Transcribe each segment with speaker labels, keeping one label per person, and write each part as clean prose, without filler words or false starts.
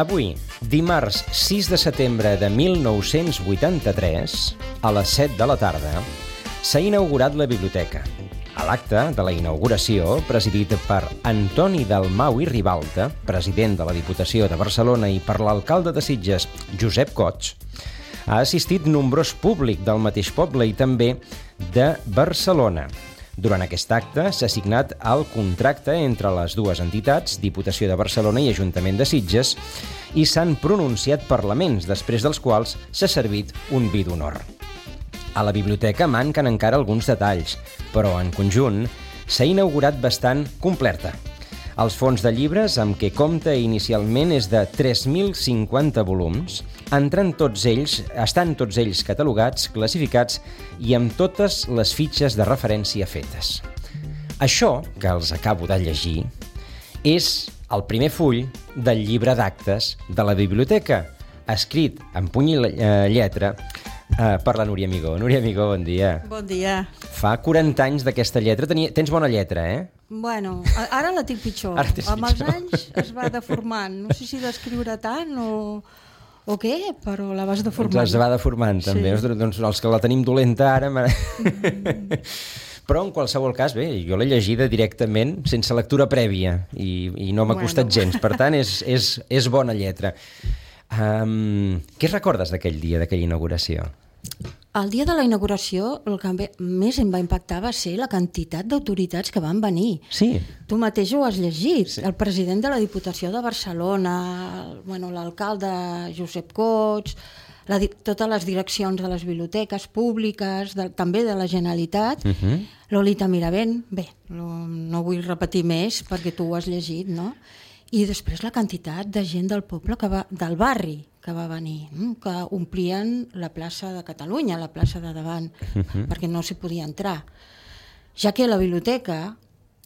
Speaker 1: Avui, dimarts 6 de setembre de 1983, a les 7 de la tarda, s'ha inaugurat la biblioteca. A l'acte de la inauguració, presidit per Antoni Dalmau i Ribalta, president de la Diputació de Barcelona, i per l'alcalde de Sitges, Josep Cots, ha assistit nombrós públic del mateix poble i també de Barcelona. Durant aquest acte s'ha signat el contracte entre les dues entitats, Diputació de Barcelona i Ajuntament de Sitges, i s'han pronunciat parlaments, després dels quals s'ha servit un vi d'honor. A la biblioteca manquen encara alguns detalls, però en conjunt s'ha inaugurat bastant completa. Els fons de llibres, amb què compta inicialment, és de 3.050 volums, estan tots ells catalogats, classificats i amb totes les fitxes de referència fetes. Això, que els acabo de llegir, és el primer full del llibre d'actes de la biblioteca, escrit en puny i lletra per la Núria Amigó. Núria Amigó, bon dia.
Speaker 2: Bon dia.
Speaker 1: Fa 40 anys d'aquesta lletra. Tens bona lletra, eh?
Speaker 2: Bueno, ara la tinc pitjor. Amb els anys es va deformant. No sé si d'escriure tant o què, però la vas deformant.
Speaker 1: Es va deformant, també. Sí. Doncs els que la tenim dolenta ara... Però en qualsevol cas, bé, jo l'he llegida directament, sense lectura prèvia, i no m'ha costat gens. Per tant, és bona lletra. Què recordes d'aquell dia, d'aquella inauguració?
Speaker 2: El dia de la inauguració, el que més em va impactar va ser la quantitat d'autoritats que van venir.
Speaker 1: Sí.
Speaker 2: Tu mateix ho has llegit.
Speaker 1: Sí.
Speaker 2: El president de la Diputació de Barcelona, l'alcalde Josep Cots, totes les direccions de les biblioteques públiques, també de la Generalitat, Lolita Miravent, bé, no vull repetir més perquè tu ho has llegit, no? I després la quantitat de gent del poble, del barri, que va venir, que omplien la plaça de Catalunya, la plaça de davant, perquè no s'hi podia entrar. Ja que la biblioteca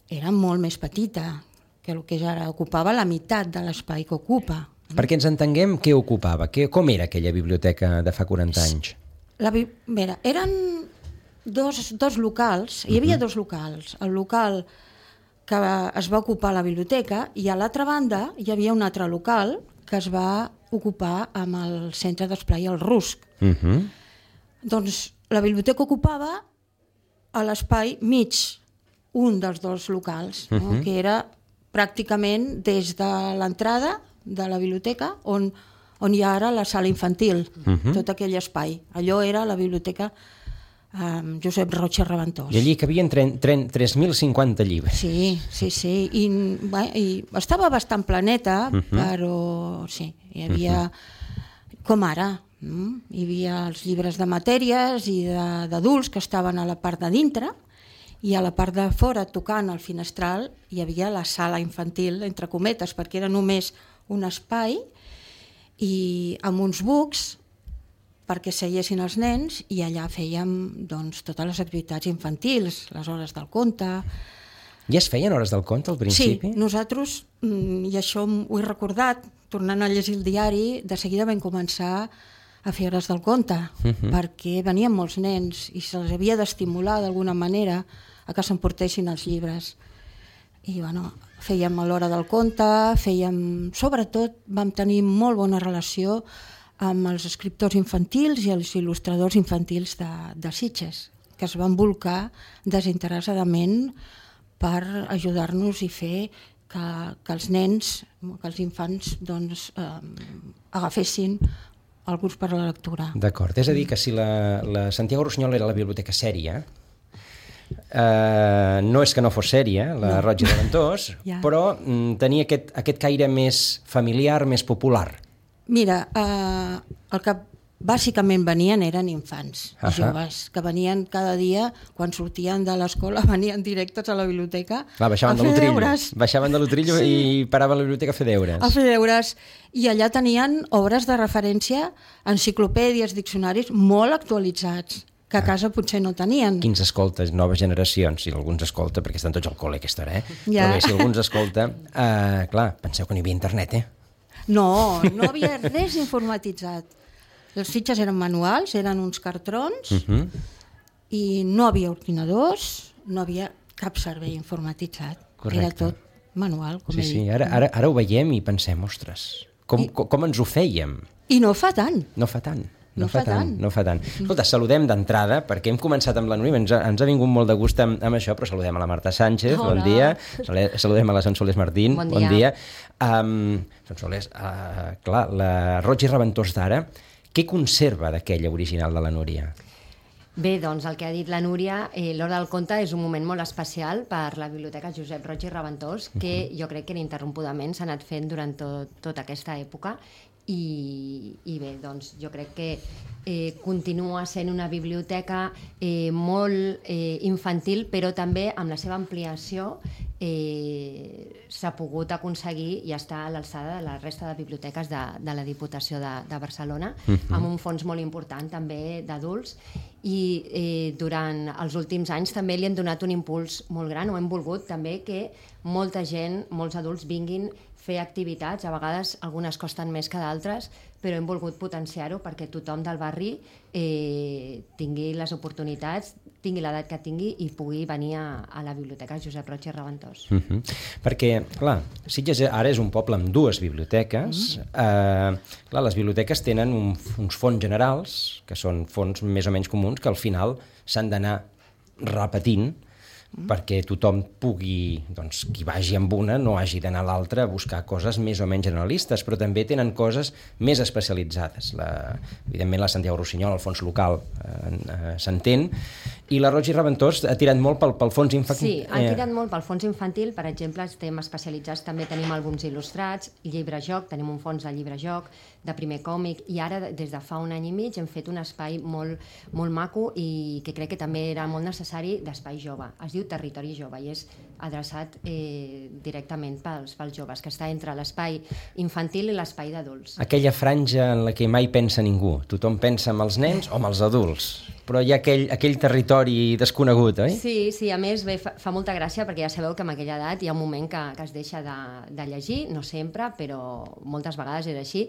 Speaker 2: era molt més petita que el que ja ara ocupava la meitat de l'espai que ocupa.
Speaker 1: Perquè ens entenguem què ocupava, com era aquella biblioteca de fa 40 anys?
Speaker 2: Eren dos locals, hi havia dos locals. El local que es va ocupar la biblioteca i a l'altra banda hi havia un altre local que es va ocupar amb el centre d'esplai al Rusc. Doncs la biblioteca ocupava a l'espai mig, un dels dos locals, que era pràcticament des de l'entrada de la biblioteca on hi ha ara la sala infantil, tot aquell espai. Allò era la biblioteca Josep Roig i Reventós.
Speaker 1: I allí cabien 3.050 llibres.
Speaker 2: Sí. I estava bastant planeta, però sí, hi havia, com ara, hi havia els llibres de matèries i d'adults que estaven a la part de dintre, i a la part de fora, tocant al finestral, hi havia la sala infantil, entre cometes, perquè era només un espai, i amb uns bucs perquè seiessin els nens, i allà fèiem totes les activitats infantils, les hores del conte.
Speaker 1: Ja es feien hores del conte al principi?
Speaker 2: Sí, nosaltres, i això ho he recordat, tornant a llegir el diari, de seguida vam començar a fer hores del conte, perquè venien molts nens i se'ls havia d'estimular d'alguna manera a que s'emportessin els llibres. I fèiem a l'hora del conte, sobretot vam tenir molt bona relació amb els escriptors infantils i els il·lustradors infantils de Sitges, que es van volcar desinteressadament per ajudar-nos i fer que els nens, que els infants agafessin el gust per la lectura.
Speaker 1: D'acord, és a dir que si la Santiago Rusiñol era la biblioteca sèria, no és que no fos sèria, la Roig i Reventós, però tenia aquest caire més familiar, més popular.
Speaker 2: Mira, el que bàsicament venien eren infants, joves, que venien cada dia, quan sortien de l'escola, venien directes a la biblioteca a fer deures.
Speaker 1: Baixaven de l'Utrillo i paraven a la biblioteca a fer deures.
Speaker 2: A fer deures, i allà tenien obres de referència, enciclopèdies, diccionaris molt actualitzats, que a casa potser no tenien.
Speaker 1: Quins escoltes, noves generacions, si algú ens escolta, perquè estan tots al col·le a aquesta hora, però bé, si algú ens escolta, clar, penseu que no hi havia internet,
Speaker 2: No havia res informatitzat. Les fitxes eren manuals, eren uns cartrons, i no havia ordinadors, no havia cap servei informatitzat. Correcte. Era tot manual, com he dit.
Speaker 1: Sí, ara ho veiem i pensem, ostres, com ens ho fèiem.
Speaker 2: I no fa tant.
Speaker 1: No fa tant. Escolta, saludem d'entrada, perquè hem començat amb la Núria, ens ha vingut molt de gust amb això, però saludem a la Marta Sánchez, bon dia, saludem a la Sonsoles Martín, bon dia. Sonsoles, clar, la Roig i Reventós d'ara, què conserva d'aquella original de la Núria?
Speaker 3: Bé, doncs el que ha dit la Núria, l'Hora del Conte és un moment molt especial per la Biblioteca Josep Roig i Reventós, que jo crec que ininterrompudament s'ha anat fent durant tota aquesta època, i bé, doncs jo crec que continua sent una biblioteca molt infantil, però també amb la seva ampliació s'ha pogut aconseguir i està a l'alçada de la resta de biblioteques de la Diputació de Barcelona, amb un fons molt important també d'adults, i durant els últims anys també li han donat un impuls molt gran, o hem volgut també que molta gent, molts adults vinguin fer activitats, a vegades algunes costen més que d'altres, però hem volgut potenciar-ho perquè tothom del barri tingui les oportunitats, tingui l'edat que tingui i pugui venir a la Biblioteca Josep Roig i Reventós.
Speaker 1: Perquè, clar, Sitges ara és un poble amb dues biblioteques. Clar, les biblioteques tenen uns fons generals, que són fons més o menys comuns, que al final s'han d'anar repetint perquè tothom pugui, doncs, qui vagi amb una no hagi d'anar a l'altra a buscar coses més o menys generalistes, però també tenen coses més especialitzades. Evidentment la Santiago Rossinyol, el fons local, s'entén, i la Roig i Reventós ha tirat molt pel fons infantil.
Speaker 3: Sí, ha tirat molt pel fons infantil, per exemple, estem especialitzats, també tenim àlbums il·lustrats, llibre-joc, tenim un fons de llibre-joc, de primer còmic, i ara des de fa un any i mig hem fet un espai molt maco i que crec que també era molt necessari d'espai jove. Es diu Territori Jove i és adreçat directament pels joves, que està entre l'espai infantil i l'espai d'adults.
Speaker 1: Aquella franja en la que mai pensa ningú. Tothom pensa en els nens o en els adults, però hi ha aquell territori desconegut, oi?
Speaker 3: Sí, a més fa molta gràcia perquè ja sabeu que en aquella edat hi ha un moment que es deixa de llegir, no sempre, però moltes vegades és així,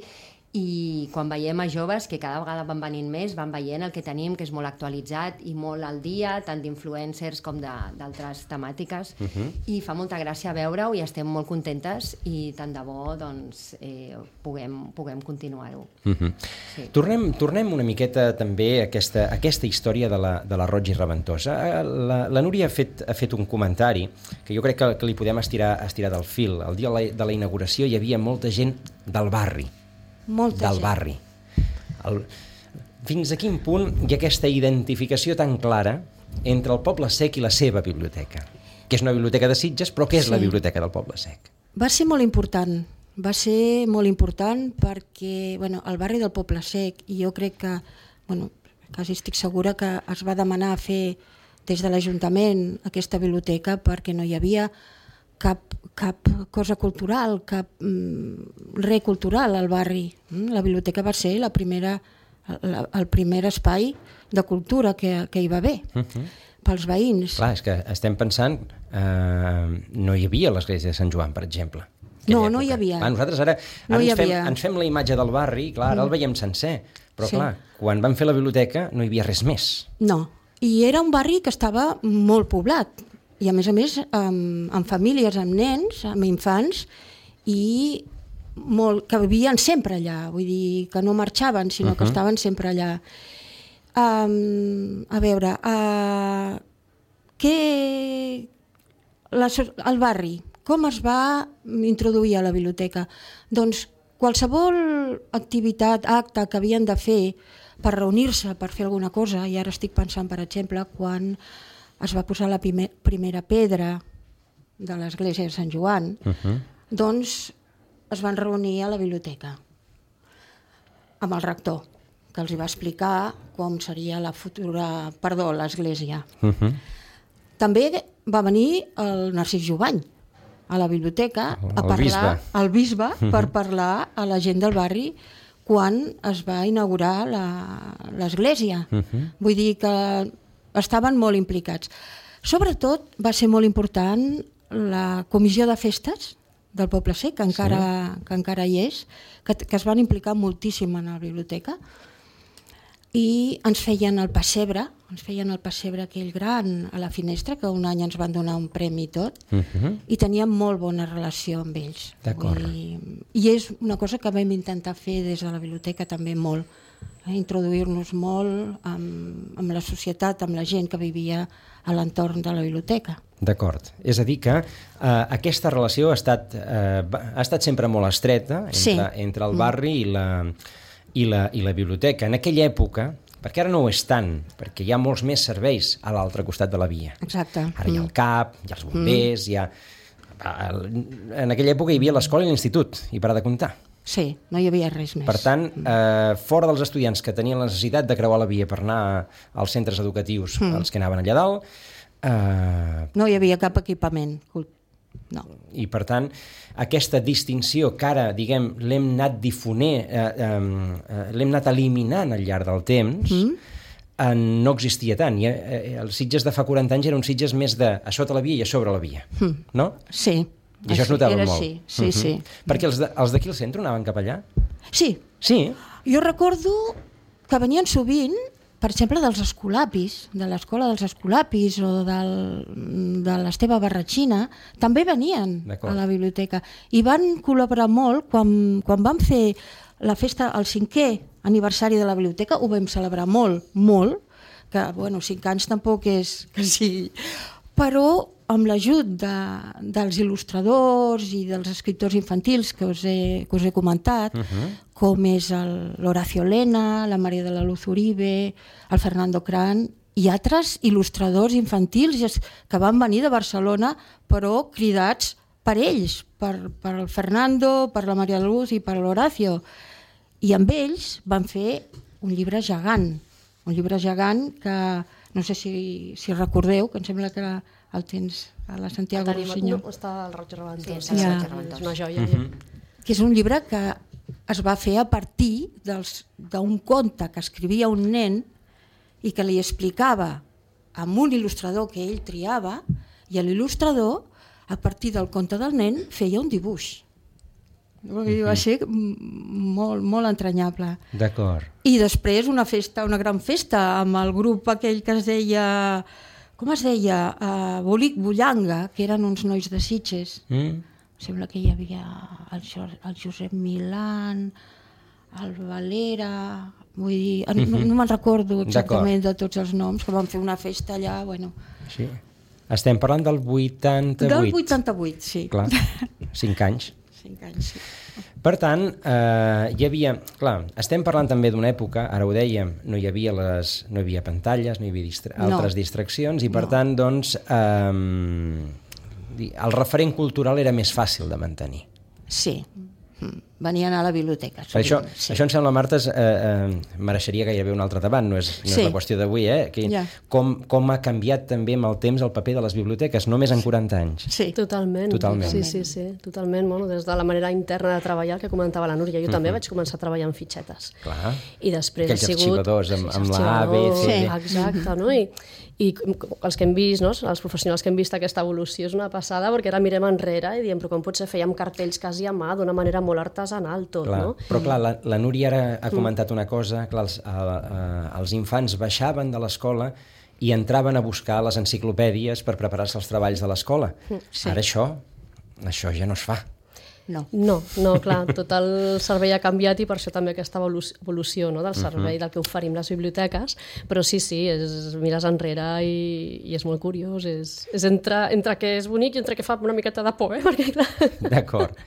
Speaker 3: i quan veiem a joves que cada vegada van venint més, van veient el que tenim, que és molt actualitzat i molt al dia, tant d'influencers com d'altres temàtiques, i fa molta gràcia veure-ho i estem molt contentes i tant de bo doncs, puguem continuar-ho.
Speaker 1: Sí. Tornem una miqueta també a aquesta història de la Roig i Reventós. La Núria ha fet un comentari que jo crec que li podem estirar del fil. El dia de la inauguració hi havia molta gent del barri. Barri. Fins a quin punt hi ha aquesta identificació tan clara entre el Poble Sec i la seva biblioteca? Que és una biblioteca de Sitges, però què és la biblioteca del Poble Sec?
Speaker 2: Va ser molt important perquè el barri del Poble Sec, i jo crec que, quasi estic segura que es va demanar fer des de l'Ajuntament aquesta biblioteca perquè no hi havia cap cosa cultural, cap res cultural al barri. La biblioteca va ser el primer espai de cultura que hi va haver pels veïns.
Speaker 1: Clar, és que estem pensant, no hi havia l'església de Sant Joan, per exemple.
Speaker 2: No hi havia.
Speaker 1: Nosaltres ara ens fem la imatge del barri, clar, ara el veiem sencer, però clar, quan vam fer la biblioteca no hi havia res més.
Speaker 2: No, i era un barri que estava molt poblat, i a més amb famílies, amb nens, amb infants, i que vivien sempre allà, vull dir que no marxaven, sinó que estaven sempre allà. A veure, el barri, com es va introduir a la biblioteca? Doncs qualsevol activitat, acte que havien de fer per reunir-se, per fer alguna cosa, i ara estic pensant, per exemple, quan es va posar la primera pedra de l'església de Sant Joan, doncs es van reunir a la biblioteca amb el rector, que els va explicar com seria l'església. També va venir el Narcís Jubany a la biblioteca a parlar, el bisbe, per parlar a la gent del barri quan es va inaugurar l'església. Vull dir que estaven molt implicats. Sobretot va ser molt important la comissió de festes del Poble Sec, que encara hi és, que es van implicar moltíssim en la biblioteca. i ens feien el pessebre aquell gran a la finestra, que un any ens van donar un premi i tot, i teníem molt bona relació amb ells.
Speaker 1: D'acord.
Speaker 2: I és una cosa que vam intentar fer des de la biblioteca també molt, introduir-nos molt amb la societat, amb la gent que vivia a l'entorn de la biblioteca.
Speaker 1: D'acord. És a dir que aquesta relació ha estat sempre molt estreta entre el barri i la biblioteca. En aquella època, perquè ara no ho és tant, perquè hi ha molts més serveis a l'altre costat de la via.
Speaker 2: Exacte.
Speaker 1: Ara hi ha el CAP, hi ha els bombers, en aquella època hi havia l'escola i l'institut, i per de comptar.
Speaker 2: Sí, no hi havia res més.
Speaker 1: Per tant, fora dels estudiants que tenien la necessitat de creuar la via per anar als centres educatius, els que anaven allà dalt...
Speaker 2: No hi havia cap equipament. No.
Speaker 1: I per tant, aquesta distinció que ara, diguem, l'hem anat difonent, l'hem anat eliminant al llarg del temps, no existia tant. Els Sitges de fa 40 anys eren uns Sitges més de a sota la via i a sobre la via, no?
Speaker 2: Sí.
Speaker 1: I això es notava molt.
Speaker 2: Sí.
Speaker 1: Perquè els d'aquí al centre anaven cap allà?
Speaker 2: Sí.
Speaker 1: Sí?
Speaker 2: Jo recordo que venien sovint, per exemple, dels escolapis, de l'escola dels escolapis o de l'Esteve Barratxina, també venien a la biblioteca. I van col·laborar molt quan vam fer la festa, el 5è aniversari de la biblioteca, ho vam celebrar molt, que, 5 anys tampoc és que sigui... Però amb l'ajut dels il·lustradors i dels escriptors infantils que us he comentat, com és l'Horacio Lena, la Maria de la Luz Uribe, el Fernando Cran i altres il·lustradors infantils que van venir de Barcelona, però cridats per ells, per el Fernando, per la Maria de la Luz i per l'Horacio. I amb ells van fer un llibre gegant que no sé si recordeu, que em sembla que el tens a la Santiago Rossinyol.
Speaker 4: Està al Roig Reventós.
Speaker 2: Sí,
Speaker 4: és una joia.
Speaker 2: Que és un llibre que es va fer a partir d'un conte que escrivia un nen i que li explicava amb un il·lustrador que ell triava, i l'il·lustrador, a partir del conte del nen, feia un dibuix. Va ser molt, molt entranyable.
Speaker 1: D'acord.
Speaker 2: I després una gran festa amb el grup aquell que es deia... Com es deia? Bolic Bullanga, que eren uns nois de Sitges. Sembla que hi havia el Josep Milán, el Valera... Vull dir, no me'n recordo exactament de tots els noms, que van fer una festa allà, bueno...
Speaker 1: Sí. Estem parlant del 88.
Speaker 2: Del 88, sí.
Speaker 1: Clar, 5 anys.
Speaker 2: 5 anys, sí.
Speaker 1: Per tant, hi havia... Clar, estem parlant també d'una època, ara ho dèiem, no hi havia pantalles, no hi havia altres distraccions, i per tant, doncs, el referent cultural era més fàcil de mantenir.
Speaker 2: Sí. Venien a la biblioteca.
Speaker 1: Això em sembla, Marta, mereixeria gairebé un altre debat, no és la qüestió d'avui, com ha canviat també amb el temps el paper de les biblioteques, només en 40 anys.
Speaker 4: Sí, totalment. Sí, totalment. Bueno, des de la manera interna de treballar, que comentava la Núria, jo també vaig començar a treballar amb fitxetes.
Speaker 1: Clar,
Speaker 4: i després
Speaker 1: aquells arxivadors amb la A, B, C...
Speaker 4: Exacte, no? I els que hem vist, no? Els professionals que hem vist aquesta evolució és una passada, perquè ara mirem enrere i diem, però com potser fèiem cartells quasi a mà, d'una manera molt artesanal tot,
Speaker 1: clar,
Speaker 4: no?
Speaker 1: Però clar, la Núria ara ha comentat una cosa, clar, els infants baixaven de l'escola i entraven a buscar les enciclopèdies per preparar-se els treballs de l'escola. Sí. Ara això ja no es fa.
Speaker 4: No, clar, tot el servei ha canviat i per això també aquesta evolució, no, del servei del que oferim les biblioteques, però sí, mires enrere i és molt curiós, és entre que és bonic i entre que fa una miqueta de por, perquè clar...
Speaker 1: D'acord.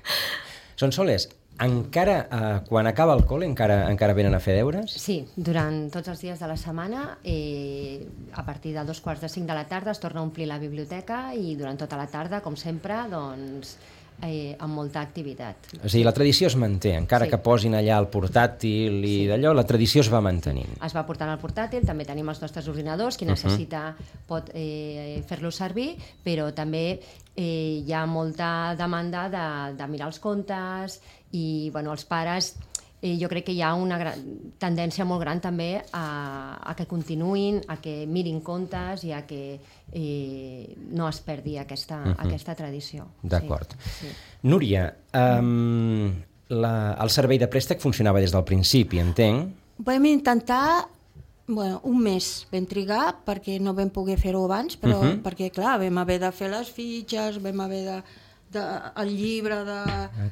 Speaker 1: Sonsoles, encara quan acaba el col·le encara venen a fer deures?
Speaker 3: Sí, durant tots els dies de la setmana, a partir de 2:45 de la tarda es torna a omplir la biblioteca i durant tota la tarda, com sempre, doncs... amb molta activitat.
Speaker 1: O sigui, la tradició es manté, encara que posin allà el portàtil i d'allò, la tradició es va mantenint.
Speaker 3: Es va portant el portàtil, també tenim els nostres ordinadors, qui necessita pot fer-lo servir, però també hi ha molta demanda de mirar els contes i els pares... Jo crec que hi ha una tendència molt gran també a que continuïn, a que mirin contes i a que no es perdi aquesta tradició.
Speaker 1: D'acord. Sí. Núria, el servei de préstec funcionava des del principi, entenc?
Speaker 2: Vam intentar Bueno, un mes vam trigar perquè no vam poder fer-ho abans, però perquè, clar, vam haver de fer les fitxes, vam haver el llibre de...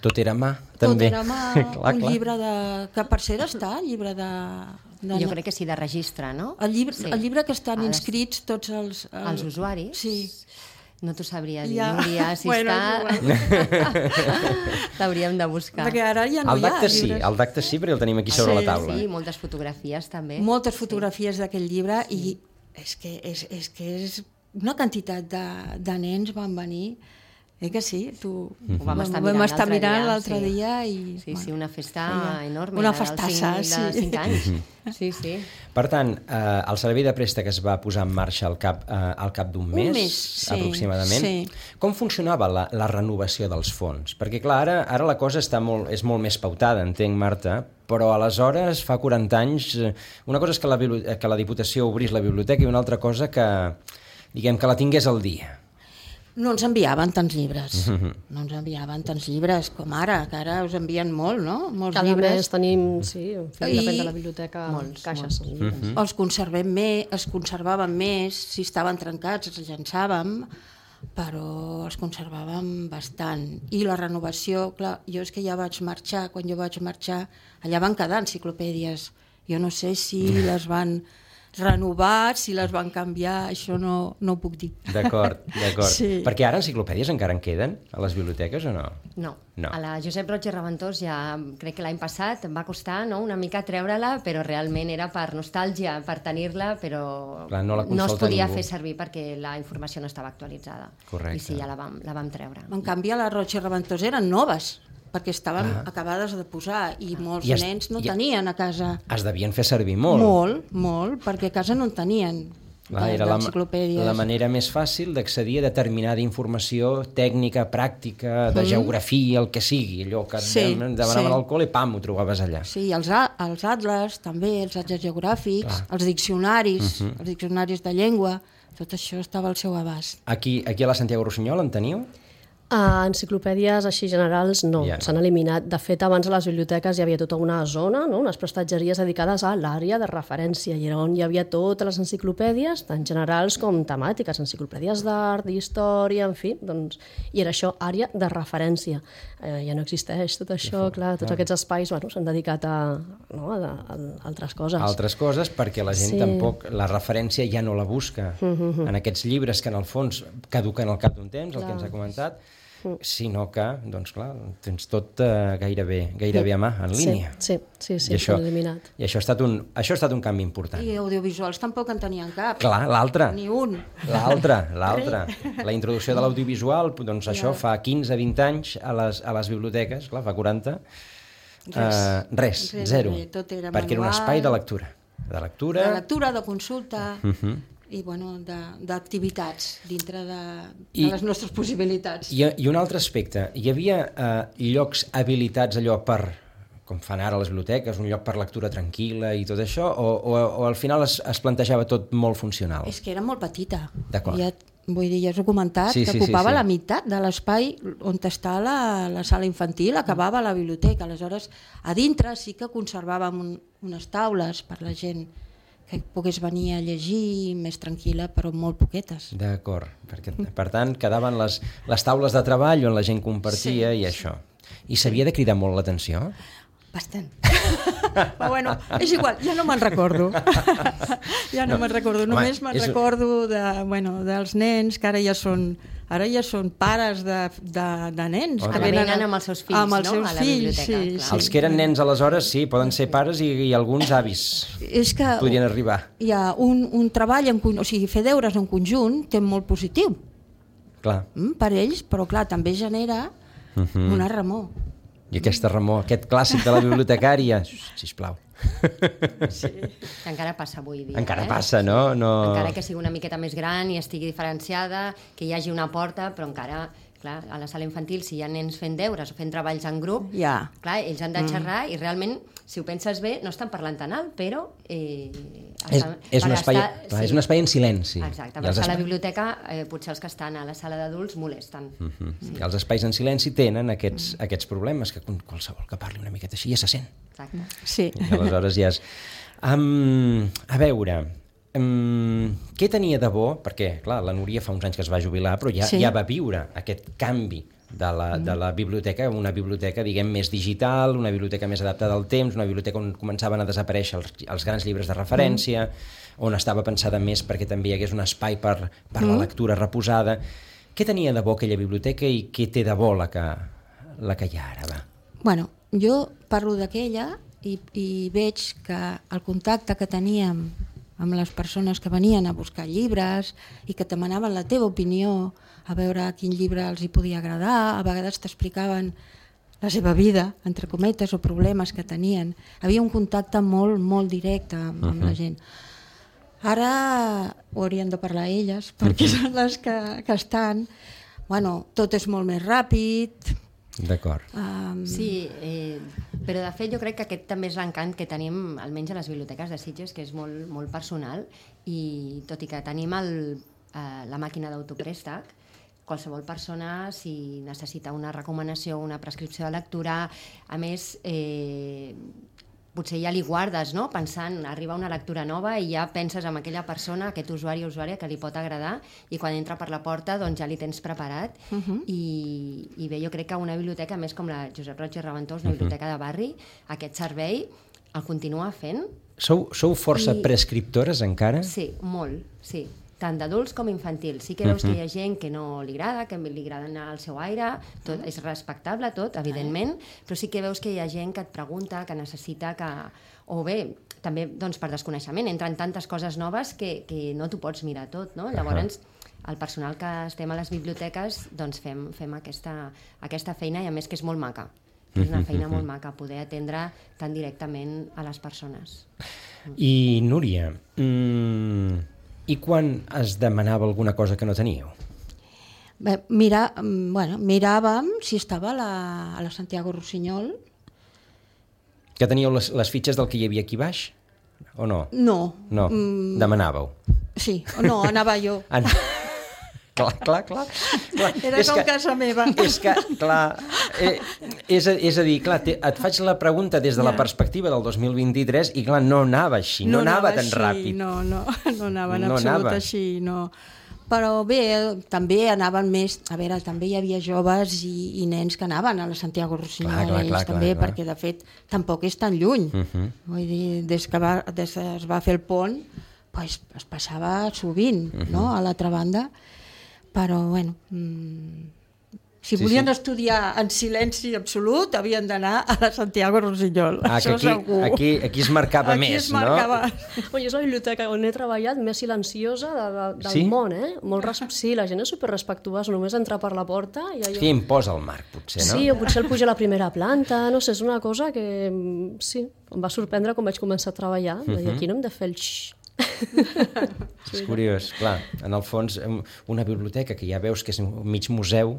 Speaker 1: Tot era mà, també.
Speaker 2: Tot era mà,
Speaker 1: clar,
Speaker 2: un llibre de... que per cert està, el llibre de...
Speaker 3: Jo crec que sí, de registre, no?
Speaker 2: El llibre que estan inscrits tots els...
Speaker 3: Els usuaris?
Speaker 2: Sí.
Speaker 3: No t'ho sabria dir, Núria, si està... L'hauríem de buscar.
Speaker 2: Perquè ara ja no hi ha llibres.
Speaker 1: El d'acte sí, perquè el tenim aquí sobre la taula.
Speaker 3: Sí, moltes fotografies també.
Speaker 2: Moltes fotografies d'aquell llibre i és que és una quantitat de nens van venir. Que sí?
Speaker 3: Ho vam estar mirant l'altre dia
Speaker 2: i...
Speaker 3: Sí, una festa enorme.
Speaker 2: Una festassa,
Speaker 3: de 5 anys. Sí, sí.
Speaker 1: Per tant, el servei de préstec es va posar en marxa al cap d'un mes, aproximadament.
Speaker 2: Sí.
Speaker 1: Com funcionava la renovació dels fons? Perquè, clar, ara la cosa és molt més pautada, entenc, Marta, però aleshores, fa 40 anys, una cosa és que la Diputació obrís la biblioteca i una altra cosa que la tingués al dia.
Speaker 2: No ens enviaven tants llibres. No ens enviaven tants llibres com ara, que ara us envien molt, no? Molts
Speaker 4: Cada
Speaker 2: llibres.
Speaker 4: mes tenim, sí, depèn de la biblioteca, caixes.
Speaker 2: Els conservem més, es conservaven més, si estaven trencats els llançàvem, però els conservàvem bastant. I la renovació, clar, jo és que ja vaig marxar, quan jo vaig marxar, allà van quedar enciclopèdies. Jo no sé si les van renovar, si les van canviar, això no ho puc dir.
Speaker 1: D'acord.
Speaker 2: Sí.
Speaker 1: Perquè ara enciclopèdies encara en queden a les biblioteques o no?
Speaker 3: No. A la Josep Roig i Reventós ja crec que l'any passat em va costar una mica treure-la, però realment era per nostàlgia, per tenir-la, però
Speaker 1: clar, no
Speaker 3: es podia fer servir perquè la informació no estava actualitzada.
Speaker 1: Correcte.
Speaker 3: I sí, ja la vam treure.
Speaker 2: En canvi, a la Roig i Reventós eren noves, perquè estaven acabades de posar i molts nens no tenien a casa.
Speaker 1: Es devien fer servir molt.
Speaker 2: Molt, perquè a casa no en tenien.
Speaker 1: Era la manera més fàcil d'accedir a determinada informació tècnica, pràctica, de geografia, el que sigui, allò que demanaven al col·le, pam, ho trobaves allà.
Speaker 2: Sí, els atles, també, els atles geogràfics, els diccionaris de llengua, tot això estava al seu abast.
Speaker 1: Aquí a la Santiago Rossinyol en teniu?
Speaker 4: Enciclopèdies així generals no, s'han eliminat. De fet, abans a les biblioteques hi havia tota una zona, unes prestatgeries dedicades a l'àrea de referència, i on hi havia totes les enciclopèdies, tant generals com temàtiques, enciclopèdies d'art, d'història, en fi, doncs, i era això, àrea de referència. Ja no existeix tot això, clar, tots aquests espais s'han dedicat a altres coses.
Speaker 1: Altres coses, perquè la gent tampoc, la referència ja no la busca en aquests llibres que en el fons caduquen al cap d'un temps, el que ens ha comentat, sinó que, doncs clar, tens tot gairebé a mà, en línia.
Speaker 4: Sí, s'ha eliminat.
Speaker 1: I això ha estat un canvi important.
Speaker 2: I audiovisuals tampoc en tenien cap.
Speaker 1: Clar, l'altre.
Speaker 2: Ni un.
Speaker 1: L'altre. La introducció de l'audiovisual, doncs això fa 15-20 anys a les biblioteques, clar, fa 40. Res, zero. Perquè era un espai de lectura. De lectura,
Speaker 2: de consulta... i d'activitats dintre de les nostres possibilitats.
Speaker 1: I un altre aspecte, hi havia llocs habilitats allò per, com fan ara les biblioteques, un lloc per lectura tranquil·la i tot això, o al final es plantejava tot molt funcional?
Speaker 2: És que era molt petita.
Speaker 1: D'acord.
Speaker 2: Vull dir, ja us ho he comentat, que ocupava la meitat de l'espai on està la sala infantil, acabava la biblioteca. Aleshores, a dintre sí que conservàvem unes taules per la gent que pogués venir a llegir més tranquil·la, però molt poquetes.
Speaker 1: D'acord, per tant, quedaven les taules de treball on la gent compartia i això. I s'havia de cridar molt l'atenció?
Speaker 2: Bastant. Però bueno, és igual, ja no me'n recordo. Només me'n recordo dels nens, que ara ja són pares de nens.
Speaker 3: Que venen amb els seus fills,
Speaker 2: a la biblioteca.
Speaker 1: Els que eren nens aleshores, sí, poden ser pares i alguns avis podrien arribar.
Speaker 2: Hi ha un treball, o sigui, fer deures en conjunt té molt positiu.
Speaker 1: Clar.
Speaker 2: Per ells, però clar, també genera una remor.
Speaker 1: I aquesta remor, aquest clàssic de la bibliotecària, sisplau.
Speaker 3: Sí. Que encara passa avui dia.
Speaker 1: Encara passa, no?
Speaker 3: Encara que sigui una miqueta més gran i estigui diferenciada, que hi hagi una porta, però encara, clar, a la sala infantil, si hi ha nens fent deures o fent treballs en grup, clar, ells han de xerrar i realment, si ho penses bé, no estan parlant tan alt, però...
Speaker 1: És un espai en silenci.
Speaker 3: Exacte, per estar a la biblioteca, potser els que estan a la sala d'adults molesten.
Speaker 1: I els espais en silenci tenen aquests problemes, que qualsevol que parli una miqueta així ja se sent.
Speaker 3: Exacte.
Speaker 2: Sí.
Speaker 1: I aleshores ja és... A veure, què tenia de bo? Perquè, clar, la Núria fa uns anys que es va jubilar, però ja va viure aquest canvi de la biblioteca, una biblioteca, diguem, més digital, una biblioteca més adaptada al temps, una biblioteca on començaven a desaparèixer els grans llibres de referència, on estava pensada més perquè també hi hagués un espai per la lectura reposada. Què tenia de bo aquella biblioteca i què té de bo la que hi ha ara? Va?
Speaker 2: Bueno, jo parlo d'aquella i veig que el contacte que teníem amb les persones que venien a buscar llibres i que et demanaven la teva opinió, a veure quin llibre els hi podia agradar, a vegades t'explicaven la seva vida, entre cometes, o problemes que tenien. Havia un contacte molt, molt directe amb la gent. Ara ho haurien de parlar elles, perquè són les que estan. Bueno, tot és molt més ràpid.
Speaker 1: D'acord.
Speaker 3: Sí, però de fet jo crec que aquest també és l'encant que tenim, almenys a les biblioteques de Sitges, que és molt, molt personal, i tot i que tenim la màquina d'autoprèstec, qualsevol persona, si necessita una recomanació, una prescripció de lectura, a més, potser ja li guardes, no? Pensant, arriba una lectura nova i ja penses en aquella persona, aquest usuari o usuària que li pot agradar, i quan entra per la porta doncs ja li tens preparat. I bé, jo crec que una biblioteca, més com la Josep Roig i Reventós, una biblioteca de barri, aquest servei el continua fent.
Speaker 1: Sou força prescriptores encara?
Speaker 3: Sí, molt, sí. Tant d'adults com infantils. Sí que veus que hi ha gent que no li agrada, que li agrada anar al seu aire, tot és respectable tot, evidentment, però sí que veus que hi ha gent que et pregunta, que necessita que... O bé, també doncs, per desconeixement, entren tantes coses noves que no t'ho pots mirar tot, no? Llavors, el personal que estem a les biblioteques doncs fem aquesta feina, i a més que és molt maca. És una feina molt maca, poder atendre tan directament a les persones.
Speaker 1: I Núria, i quan es demanava alguna cosa que no teníeu?
Speaker 2: Bé, miràvem si estava a la Santiago Rossinyol.
Speaker 1: Que teníeu les fitxes del que hi havia aquí baix? O no?
Speaker 2: No.
Speaker 1: No, demanàveu.
Speaker 2: Sí, no, anava jo.
Speaker 1: Clar.
Speaker 2: Era com casa meva.
Speaker 1: És que, clar, és a dir, clar, et faig la pregunta des de la perspectiva del 2023 i, clar, no anava així, no anava tan ràpid.
Speaker 2: No anava en absolut així, no. Però bé, també anaven més... A veure, també hi havia joves i nens que anaven a la Santiago Rossinyol, també, perquè, de fet, tampoc és tan lluny. Vull dir, des que es va fer el pont, es passava sovint, no?, a l'altra banda. Però, bueno, si volien estudiar en silenci absolut, havien d'anar a la Santiago Rossinyol. Això segur.
Speaker 1: Aquí es marcava més, no?
Speaker 4: Oi, és la biblioteca on he treballat més silenciosa del món, eh? Sí, la gent és superrespectuosa, només entrar per la porta...
Speaker 1: Sí, imposa el marc, potser, no?
Speaker 4: Sí, o potser el puja a la primera planta, no sé, és una cosa que, sí, em va sorprendre quan vaig començar a treballar. Aquí no hem de fer el xxxt.
Speaker 1: És curiós, clar, en el fons una biblioteca que ja veus que és mig museu,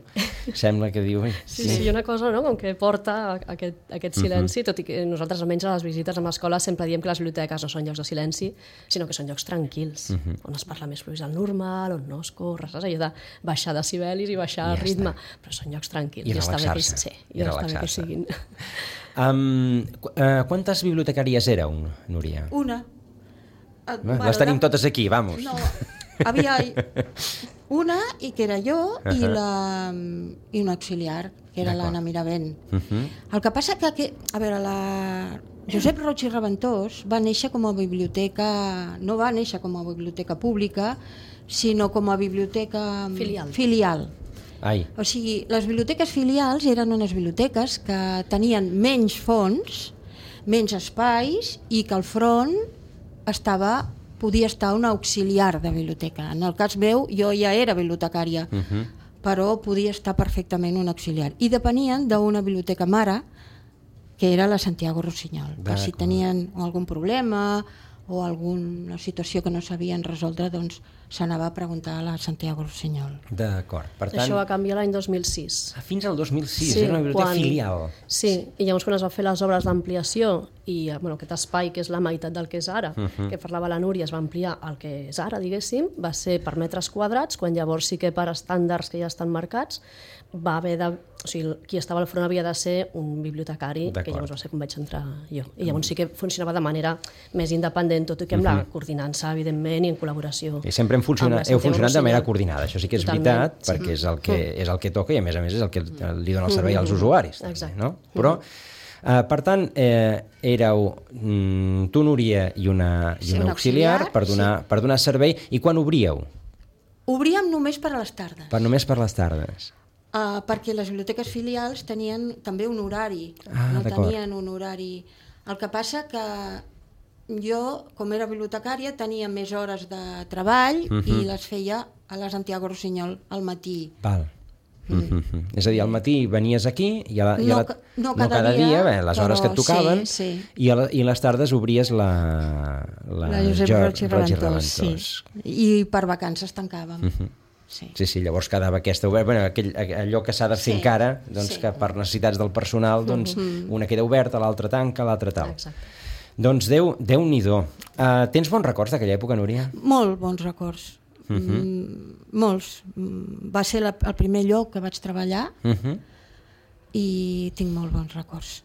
Speaker 1: sembla que diu...
Speaker 4: Sí, una cosa, no?, com que porta aquest silenci, tot i que nosaltres almenys a les visites amb l'escola sempre diem que les biblioteques no són llocs de silenci, sinó que són llocs tranquils, on es parla més fluix del normal, on no es corre, saps? Allò de baixar decibelis i baixar el ritme, però són llocs tranquils.
Speaker 1: I relaxar-se.
Speaker 4: I està bé que siguin.
Speaker 1: Quantes bibliotecàries éreu, Núria?
Speaker 2: Una.
Speaker 1: Les tenim totes aquí, vamos.
Speaker 2: No, havia una, i que era jo, i un auxiliar, que era l'Anna Miravent. El que passa que, a veure, la Josep Roig i Reventós va néixer com a biblioteca, no va néixer com a biblioteca pública, sinó com a biblioteca filial. O sigui, les biblioteques filials eren unes biblioteques que tenien menys fons, menys espais, i que al front podia estar un auxiliar de biblioteca. En el cas meu, jo ja era bibliotecària, però podia estar perfectament un auxiliar. I depenien d'una biblioteca mare, que era la Santiago Rossinyol, per si tenien algun problema o alguna situació que no sabien resoldre, doncs s'anava a preguntar a la Santiago Rossinyol.
Speaker 1: D'acord. Per tant,
Speaker 4: Això va canviar l'any 2006.
Speaker 1: fins al 2006, era una biblioteca filial.
Speaker 4: Sí, i llavors quan es van fer les obres d'ampliació i aquest espai, que és la meitat del que és ara, que parlava la Núria, es va ampliar al que és ara, diguéssim, va ser per metres quadrats, quan llavors sí que per estàndards que ja estan marcats, va haver de... O sigui, qui estava al front havia de ser un bibliotecari, que llavors va ser com vaig entrar jo. I llavors sí que funcionava de manera més independent, tot i que amb la coordinança, evidentment, i en col·laboració.
Speaker 1: I sempre heu funcionat de manera coordinada, això sí que és veritat, perquè és el que toca i a més és el que li dona el servei als usuaris. Exacte. Però, per tant, éreu tu, Núria, i una auxiliar per donar servei. I quan obríeu?
Speaker 2: Obríem només per a les tardes.
Speaker 1: Només per les tardes.
Speaker 2: Perquè les biblioteques filials tenien també un horari, no tenien un horari. El que passa que jo, com era bibliotecària, tenia més hores de treball i les feia a la Santiago Rossinyol al matí.
Speaker 1: Val. És a dir, al matí venies aquí i
Speaker 2: no cada dia,
Speaker 1: les hores que et tocaven, i a les tardes obries la
Speaker 2: Josep Roig i Raventós. I per vacances tancàvem.
Speaker 1: Sí, llavors quedava aquesta oberta, allò que s'ha de fer encara, que per necessitats del personal una queda oberta, l'altra tanca, l'altra tal. Doncs Déu-n'hi-do. Tens bons records d'aquella època, Núria?
Speaker 2: Molt bons records. Molts. Va ser el primer lloc que vaig treballar i tinc molt bons records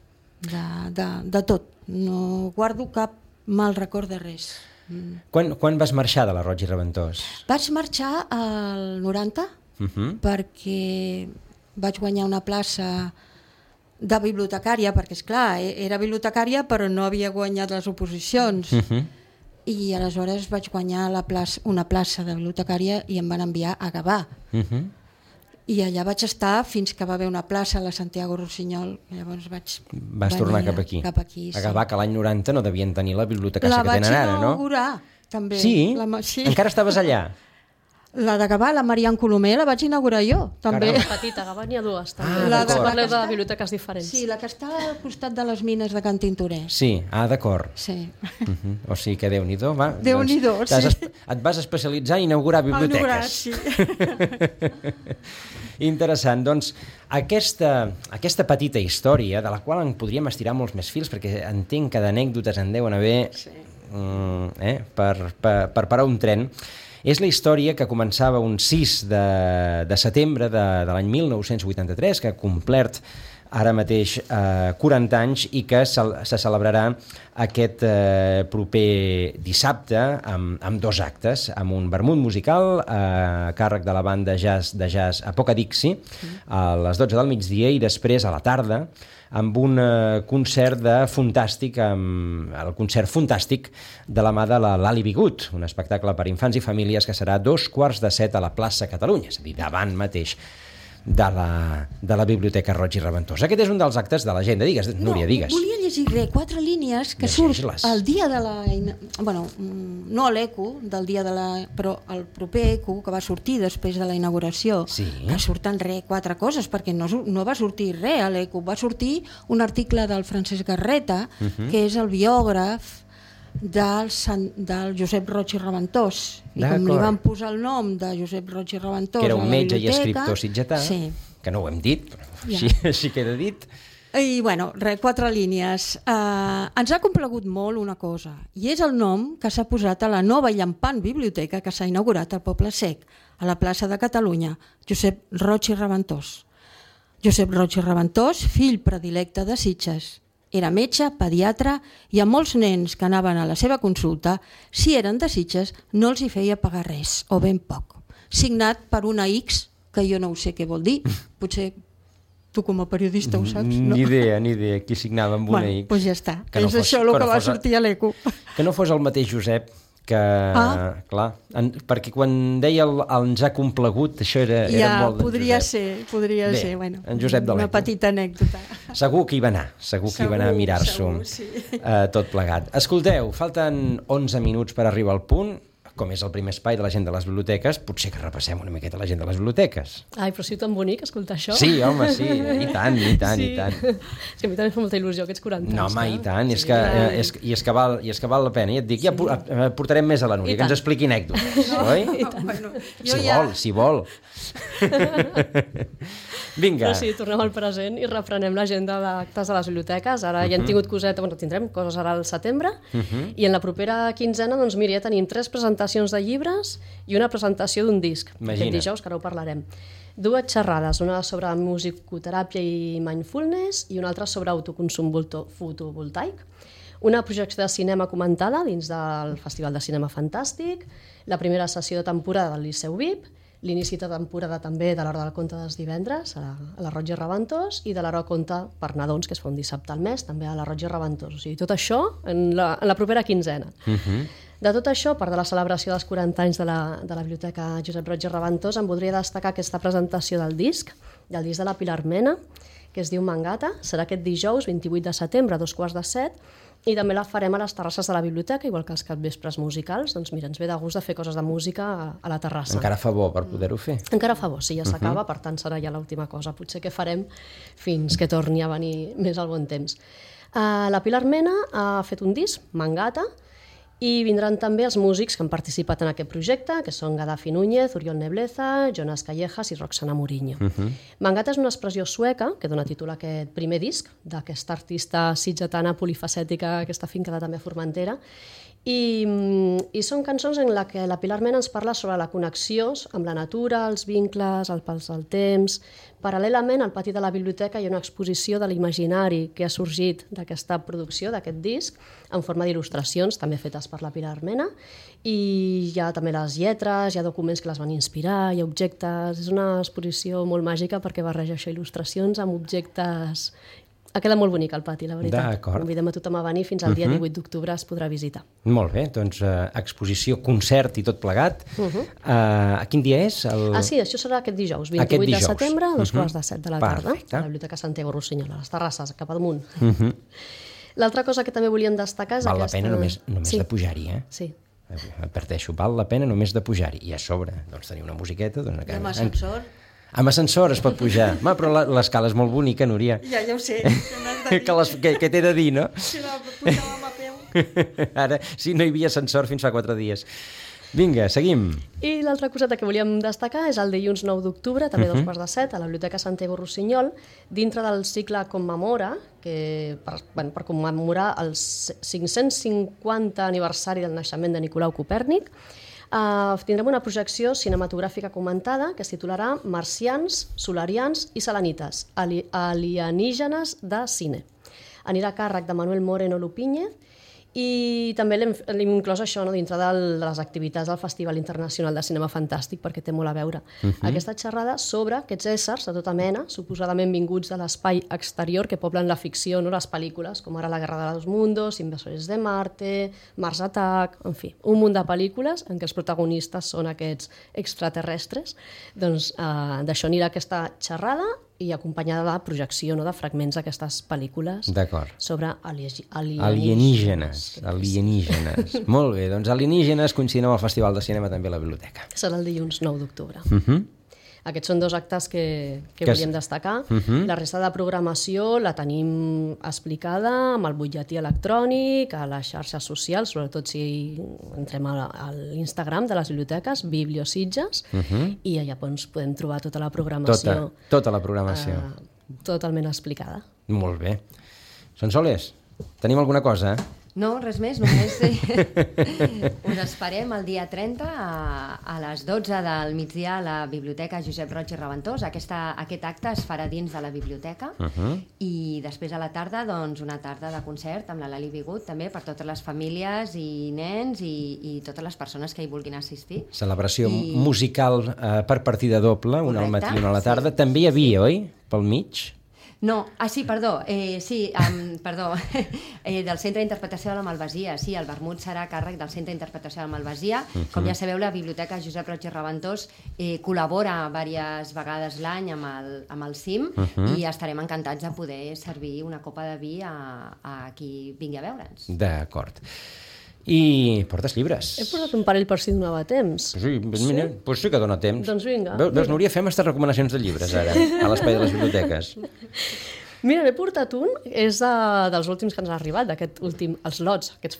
Speaker 2: de tot. No guardo cap mal record de res.
Speaker 1: Quan vas marxar de la Roig i Raventós?
Speaker 2: Vaig marxar al 90 perquè vaig guanyar una plaça de bibliotecària, perquè esclar, era bibliotecària però no havia guanyat les oposicions. I aleshores vaig guanyar una plaça de bibliotecària i em van enviar a Gavà. I allà vaig estar fins que va haver una plaça a la Santiago Rossinyol. Llavors
Speaker 1: Vas tornar cap aquí. A Gavà, que l'any 90 no devien tenir la biblioteca que tenen ara, no?
Speaker 2: La vaig inaugurar, també.
Speaker 1: Sí? Encara estaves allà?
Speaker 2: La de Gavà, la Marian Colomer, la vaig inaugurar jo, també.
Speaker 4: Petita, a Gavà n'hi ha dues, també. Parleu de biblioteques diferents.
Speaker 2: Sí, la que està al costat de les mines de Can Tintoré.
Speaker 1: Sí, d'acord.
Speaker 2: Sí.
Speaker 1: O sigui que Déu-n'hi-do, va.
Speaker 2: Déu-n'hi-do, sí.
Speaker 1: Et vas especialitzar a inaugurar biblioteques.
Speaker 2: Sí.
Speaker 1: Interessant. Doncs aquesta petita història, de la qual en podríem estirar molts més fils, perquè entenc que d'anècdotes en deuen haver per parar un tren, és la història que començava un 6 de setembre de l'any 1983, que ha complert ara mateix 40 anys i que se celebrarà aquest proper dissabte amb 2 actes, amb un vermut musical a càrrec de la banda de jazz Apocadixi a les 12 del migdia i després a la tarda amb un concert fantàstic, el concert fantàstic de la mà de l'Ali Bigut, un espectacle per infants i famílies que serà a 7:15 a la plaça Catalunya, és a dir, davant mateix de la Biblioteca Roig i Raventós. Aquest és un dels actes de l'agenda. Digues, Núria, digues.
Speaker 2: Volia llegir 4 línies que surt el dia de la... Bueno, no l'ECO del dia de la... però el proper ECO, que va sortir després de la inauguració, que surten 4 coses, perquè no va sortir res a l'ECO. Va sortir un article del Francesc Garreta, que és el biògraf del Josep Roig i Raventós, i com li van posar el nom de Josep Roig i Raventós,
Speaker 1: que era un metge i escriptor sitgetà, que no ho hem dit, però així queda dit.
Speaker 2: I bueno, 4 línies. Ens ha complagut molt una cosa, i és el nom que s'ha posat a la nova i llampant biblioteca que s'ha inaugurat al Poble Sec, a la plaça de Catalunya, Josep Roig i Raventós. Josep Roig i Raventós, fill predilecte de Sitges. Era metge, pediatre, i a molts nens que anaven a la seva consulta, si eren de Sitges, no els hi feia pagar res, o ben poc. Signat per una X, que jo no ho sé què vol dir. Potser tu com a periodista ho saps, no?
Speaker 1: Ni idea, qui signava amb una X.
Speaker 2: Doncs ja està, és això el que va sortir a l'ECO.
Speaker 1: Que no fos el mateix Josep, que, clar, perquè quan deia ens ha complagut, això era molt d'en Josep.
Speaker 2: Podria ser, bueno,
Speaker 1: en Josep de l'ECO.
Speaker 2: Una petita anècdota.
Speaker 1: Segur que hi va anar, a mirar-s'ho tot plegat. Escolteu, falten 11 minuts per arribar al punt. com és el primer espai de la gent de les biblioteques, potser que repassem una miqueta la gent de les biblioteques.
Speaker 4: Ai, però sí tan bonic escoltar això.
Speaker 1: Sí, home, sí, i tant.
Speaker 4: És que a mi també em fa molta il·lusió aquests 40 anys.
Speaker 1: No, home, i tant, és que val la pena. I et dic, ja portarem més a la Núria, que ens expliqui anècdotes, oi? Si vol. Vinga.
Speaker 4: Però sí, tornem al present i reprenem l'agenda d'actes de les biblioteques. Ara ja hem tingut tindrem coses ara al setembre, i en la propera quinzena, doncs mira, ja tenim 3 presentacions de llibres i una presentació d'un disc. Aquest dijous, que ara ho parlarem. 2 xerrades, una sobre musicoteràpia i mindfulness i una altra sobre autoconsum fotovoltaic. Una projecció de cinema comentada dins del Festival de Cinema Fantàstic, la primera sessió de temporada del Liceu VIP, l'inici de temporada també de l'Hora del Conte dels divendres a la Roig i Reventós i de l'Hora del Conte per nadons, que es fa un dissabte al mes, també a la Roig i Reventós. O sigui, tot això en la propera quinzena. De tot això, a part de la celebració dels 40 anys de la Biblioteca Josep Roig i Reventós, em voldria destacar aquesta presentació del disc de la Pilar Mena, que es diu Mangata. Serà aquest dijous, 28 de setembre, a 6:45, i també la farem a les terrasses de la biblioteca, igual que els capvespres musicals. Doncs mira, ens ve de gust de fer coses de música a la terrassa.
Speaker 1: Encara fa bo per poder-ho fer.
Speaker 4: Encara fa bo, sí, ja s'acaba, per tant serà ja l'última cosa. Potser que farem fins que torni a venir més al bon temps. La Pilar Mena ha fet un disc, Mangata, i vindran també els músics que han participat en aquest projecte, que són Gaddafi Núñez, Oriol Nebleza, Jonas Callejas i Roxana Mourinho. Mangata és una expressió sueca que dona títol a aquest primer disc d'aquesta artista sitgetana polifacètica que està fincada també a Formentera, i són cançons en les que la Pilar Mena ens parla sobre la connexió amb la natura, els vincles, el pas del temps. Paral·lelament, al pati de la biblioteca hi ha una exposició de l'imaginari que ha sorgit d'aquesta producció, d'aquest disc, en forma d'il·lustracions, també fetes per la Pilar Mena, i hi ha també les lletres, hi ha documents que les van inspirar, hi ha objectes. És una exposició molt màgica perquè barreja això, il·lustracions amb objectes. Ha quedat molt bonic el pati, la veritat.
Speaker 1: D'acord.
Speaker 4: Convidem a tothom a venir, fins al dia 18 d'octubre es podrà visitar.
Speaker 1: Molt bé, doncs exposició, concert i tot plegat. A quin dia és?
Speaker 4: Sí, això serà aquest dijous, 28 de setembre, a 2:45 de la tarda, a la Biblioteca Santiago Rossinyol, a les terrasses, cap amunt. L'altra cosa que també volíem destacar és
Speaker 1: aquesta... Val la pena només de pujar-hi, eh?
Speaker 4: Sí.
Speaker 1: Adverteixo, val la pena només de pujar-hi. I a sobre, doncs, tenir una musiqueta...
Speaker 2: I amb ascensor...
Speaker 1: Amb ascensor es pot pujar. Però l'escala és molt bonica, Núria.
Speaker 2: Ja ho sé.
Speaker 1: Que t'he de dir, no?
Speaker 2: Si la pujàvem a peu.
Speaker 1: Ara, sí, no hi havia ascensor fins fa 4 dies. Vinga, seguim.
Speaker 4: I l'altra coseta que volíem destacar és el dilluns 9 d'octubre, també a 2:45, a la Biblioteca Santiago Rossinyol, dintre del cicle Commemora, que per commemorar el 550 aniversari del naixement de Nicolau Copèrnic. Tindrem una projecció cinematogràfica comentada que es titularà Marcians, Solarians i Selenites, alienígenes de cine. Anirà a càrrec de Manuel Moreno Lupíñez i també l'hem inclòs això dintre de les activitats del Festival Internacional de Cinema Fantàstic perquè té molt a veure. Aquesta xerrada sobre aquests éssers de tota mena, suposadament vinguts de l'espai exterior que poblen la ficció, les pel·lícules, com ara La Guerra de los Mundos, Invasores de Marte, Mars Attack, en fi, un munt de pel·lícules en què els protagonistes són aquests extraterrestres. Doncs d'això anirà aquesta xerrada i acompanyada de projecció de fragments d'aquestes pel·lícules sobre
Speaker 1: alienígenes. Molt bé, doncs alienígenes coincidint amb el Festival de Cinema també a la biblioteca.
Speaker 4: Serà el dilluns 9 d'octubre. Aquests són 2 actes que volíem destacar. La resta de programació la tenim explicada amb el butlletí electrònic, a les xarxes socials, sobretot si entrem a l'Instagram de les biblioteques, Bibliositges, i allà podem trobar tota la programació.
Speaker 1: Tota la programació.
Speaker 4: Totalment explicada.
Speaker 1: Molt bé. Sonsoles, tenim alguna cosa?
Speaker 3: No, res més, només us esperem el dia 30 a les 12 del migdia a la Biblioteca Josep Roig i Reventós. Aquest acte es farà dins de la biblioteca i després a la tarda, doncs, una tarda de concert amb la Lali Bigut, també per totes les famílies i nens i totes les persones que hi vulguin assistir.
Speaker 1: Celebració musical per partida doble, una al matí i una a la tarda. També hi havia, oi? Pel mig?
Speaker 3: No, perdó, del Centre d'Interpretació de la Malvasia. Sí, el vermut serà a càrrec del Centre d'Interpretació de la Malvasia. Com ja sabeu, la Biblioteca Josep Roig i Reventós col·labora diverses vegades l'any amb el CIM i estarem encantats de poder servir una copa de vi a qui vingui a veure'ns.
Speaker 1: D'acord. I portes llibres.
Speaker 4: He portat un parell per si donava temps.
Speaker 1: Sí, pues sí que dona temps.
Speaker 4: Doncs vinga.
Speaker 1: Veus, Núria, fem aquestes recomanacions de llibres ara, a l'espai de les biblioteques.
Speaker 4: Mira, n'he portat un, és dels últims que ens ha arribat, d'aquest últim, els lots, aquests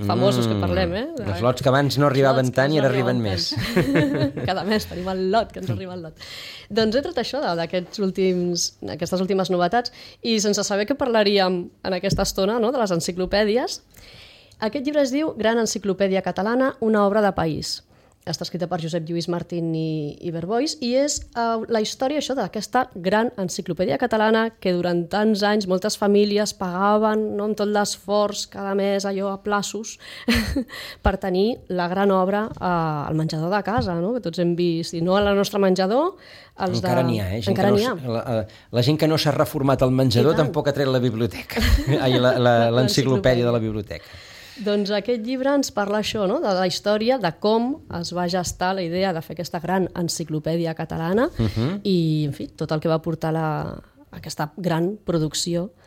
Speaker 4: famosos que parlem,
Speaker 1: Els lots que abans no arribaven tant i ara arriben més.
Speaker 4: Cada mes tenim el lot, que ens arriba el lot. Doncs he tret això d'aquestes últimes novetats i sense saber què parlaríem en aquesta estona, no?, de les enciclopèdies. Aquest llibre es diu Gran Enciclopèdia Catalana, una obra de país. Està escrita per Josep Lluís Martín i Verbois i és la història això d'aquesta gran enciclopèdia catalana que durant tants anys moltes famílies pagaven, no, amb tot l'esforç cada mes allò a plaços per tenir la gran obra al menjador de casa, no? Que tots hem vist, i no al nostre menjador,
Speaker 1: encara n'hi ha,
Speaker 4: encara n'hi ha.
Speaker 1: La gent que no s'ha reformat el menjador tampoc ha tret la biblioteca, l'enciclopèdia de la biblioteca.
Speaker 4: Doncs aquest llibre ens parla això, no?, de la història, de com es va gestar la idea de fer aquesta gran enciclopèdia catalana i, en fi, tot el que va portar aquesta gran producció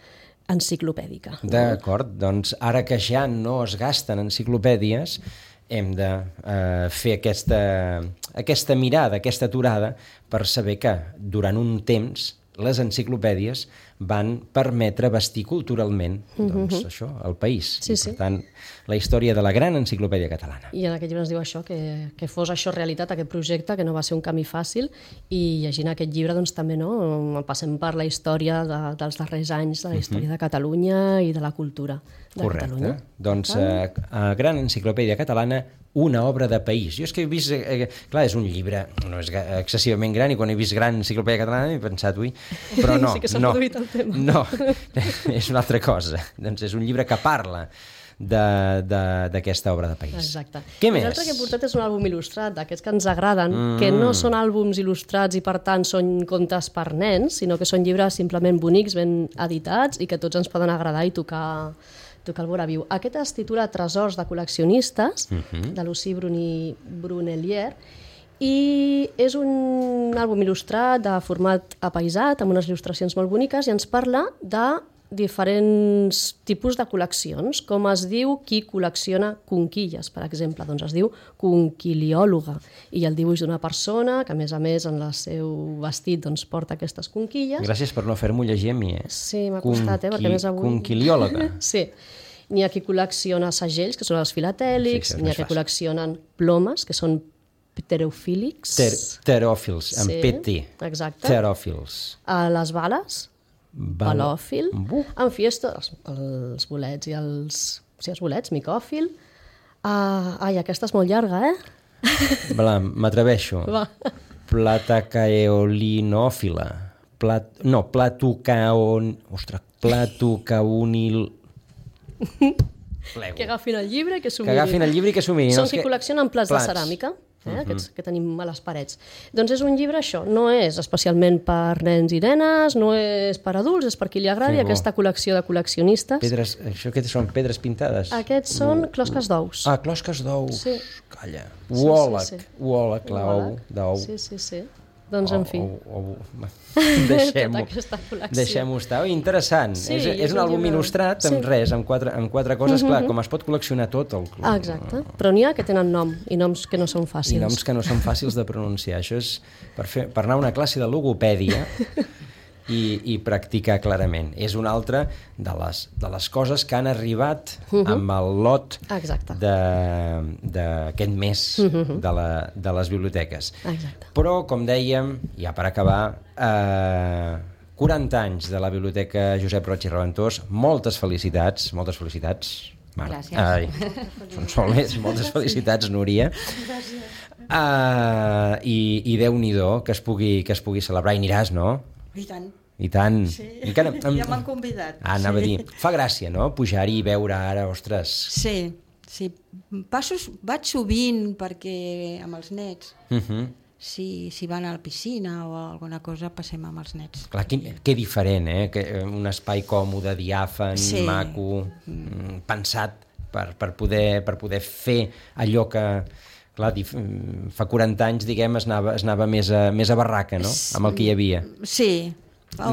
Speaker 4: enciclopèdica.
Speaker 1: D'acord, doncs ara que ja no es gasten enciclopèdies, hem de fer aquesta mirada, aquesta aturada, per saber que durant un temps les enciclopèdies van permetre vestir culturalment això, el país.
Speaker 4: Sí,
Speaker 1: per tant, la història de la gran enciclopèdia catalana.
Speaker 4: I en aquest llibre ens diu això, que fos això realitat, aquest projecte, que no va ser un camí fàcil, i llegint aquest llibre doncs, també passem per la història dels darrers anys, de la història de Catalunya i de la cultura de Catalunya.
Speaker 1: Correcte. Doncs Gran Enciclopèdia Catalana, una obra de país. Jo és que he vist... clar, és un llibre, no és excessivament gran, i quan he vist Gran Enciclopèdia Catalana he pensat, ui, però no.
Speaker 4: Sí que s'ha produït el tema.
Speaker 1: No, és una altra cosa. Doncs és un llibre que parla d'aquesta obra de país.
Speaker 4: Exacte.
Speaker 1: Què més?
Speaker 4: L'altre que he portat és un àlbum il·lustrat, d'aquests que ens agraden, que no són àlbums il·lustrats i per tant són contes per nens, sinó que són llibres simplement bonics, ben editats i que tots ens poden agradar i tocar el vora viu. Aquest es titula Tresors de col·leccionistes, de Lucie Brunelier, i és un àlbum il·lustrat de format apaïsat, amb unes il·lustracions molt boniques, i ens parla de diferents tipus de col·leccions, com es diu qui col·lecciona conquilles, per exemple. Doncs es diu conquiliòloga, i el dibuix d'una persona que, a més, en el seu vestit doncs, porta aquestes conquilles.
Speaker 1: Gràcies per no fer-m'ho llegir a mi,
Speaker 4: Sí, m'ha costat, perquè més avui...
Speaker 1: Conquiliòloga.
Speaker 4: Sí. N'hi ha qui col·lecciona segells, que són els filatèlics, n'hi ha qui col·leccionen plomes, que són pterofílics.
Speaker 1: Pteròfils, amb PT.
Speaker 4: Exacte.
Speaker 1: Pteròfils.
Speaker 4: Les bales, balòfil. En fi, els bolets i els... Sí, els bolets, micòfil. Ai, aquesta és molt llarga,
Speaker 1: M'atreveixo.
Speaker 4: Va.
Speaker 1: Platacaeolinòfila. Platucaunil...
Speaker 4: Que agafin el llibre i que s'ho
Speaker 1: mirin.
Speaker 4: Són qui col·leccionen plats de ceràmica, aquests que tenim a les parets. Doncs és un llibre, això, no és especialment per nens i nenes, no és per adults, és per qui li agradi aquesta col·lecció de col·leccionistes.
Speaker 1: Això que són pedres pintades?
Speaker 4: Aquests són closques d'ous.
Speaker 1: Closques d'ous.
Speaker 4: Sí.
Speaker 1: Calla. Uòleg, l'ou d'ou.
Speaker 4: Sí. Doncs, en fi.
Speaker 1: Deixem-ho estar. Interessant. És un àlbum il·lustrat amb res, amb quatre coses. Clar, com es pot col·leccionar tot.
Speaker 4: Exacte. Però n'hi ha que tenen nom, i noms que no són fàcils.
Speaker 1: I noms que no són fàcils de pronunciar. Això és per anar a una classe de logopèdia i practicar clarament. És una altra de les coses que han arribat amb el lot d'aquest mes de les biblioteques.
Speaker 4: Exacte.
Speaker 1: Però, com dèiem, ja per acabar, 40 anys de la Biblioteca Josep Roig i Reventós, moltes felicitats. Mare.
Speaker 3: Gràcies.
Speaker 1: Són soles, moltes felicitats, Núria. I Déu-n'hi-do que es pugui celebrar. I aniràs, no?
Speaker 2: I tant.
Speaker 1: Sí,
Speaker 2: ja m'han convidat.
Speaker 1: Anava a dir, fa gràcia, no?, pujar-hi i veure ara, ostres...
Speaker 2: Sí. Vaig sovint perquè amb els nets, si van a la piscina o alguna cosa, passem amb els nets.
Speaker 1: Clar, que diferent, un espai còmode, diàfan, maco, pensat per poder fer allò que... Clar, fa 40 anys, diguem, es anava més a barraca, no?, amb el que hi havia.
Speaker 2: Sí,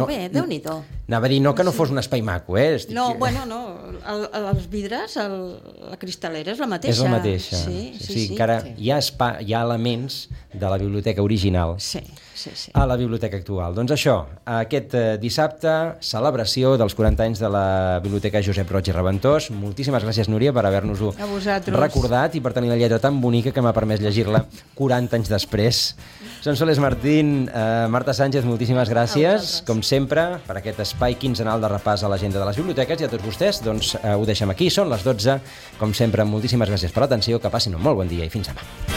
Speaker 2: Bé, Déu-n'hi-do.
Speaker 1: Anava a dir que no fos un espai maco,
Speaker 2: No, els vidres, la cristal·lera és la mateixa.
Speaker 1: És la mateixa.
Speaker 2: Sí.
Speaker 1: Encara hi ha elements de la biblioteca original a la biblioteca actual. Doncs això, aquest dissabte, celebració dels 40 anys de la Biblioteca Josep Roig i Reventós. Moltíssimes gràcies, Núria, per haver-nos-ho recordat i per tenir la lletra tan bonica que m'ha permès llegir-la 40 anys després. Sonsoles Martín, Marta Sánchez, moltíssimes gràcies, com sempre, per aquest espai quinzenal de repàs a l'agenda de les biblioteques, i a tots vostès, doncs ho deixem aquí, són les 12. Com sempre, moltíssimes gràcies per l'atenció, que passin un molt bon dia i fins demà.